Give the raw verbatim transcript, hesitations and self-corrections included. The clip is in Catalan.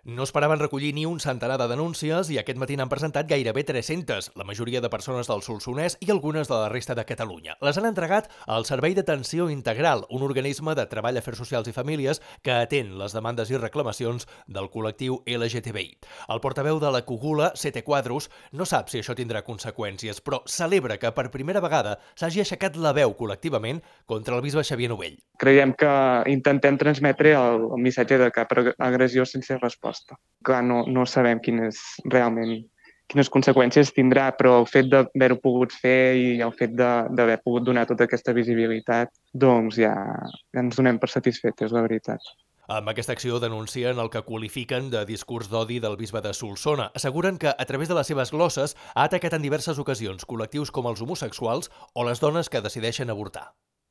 No esperaven recollir ni un centenar de denúncies i aquest matí n'han presentat gairebé tres-centes, la majoria de persones del Solsonès i algunes de la resta de Catalunya. Les han entregat al Servei d'Atenció Integral, un organisme de treball, afers socials i famílies que atén les demandes i reclamacions del col·lectiu L G T B I. El portaveu de la Cogula, Sete Quadros, no sap si això tindrà conseqüències, però celebra que per primera vegada s'hagi aixecat la veu col·lectivament contra el bisbe Xavier Novell. Creiem que intentem transmetre el, el missatge de cap agressió sense resposta. Clar, no, no sabem quines, realment quines conseqüències tindrà, però el fet d'haver-ho pogut fer i el fet d'haver pogut donar tota aquesta visibilitat, doncs ja, ja ens donem per satisfetes, la veritat. Amb aquesta acció denuncien el que qualifiquen de discurs d'odi del bisbe de Solsona. Asseguren que, a través de les seves glosses, ha atacat en diverses ocasions col·lectius com els homosexuals o les dones que decideixen avortar.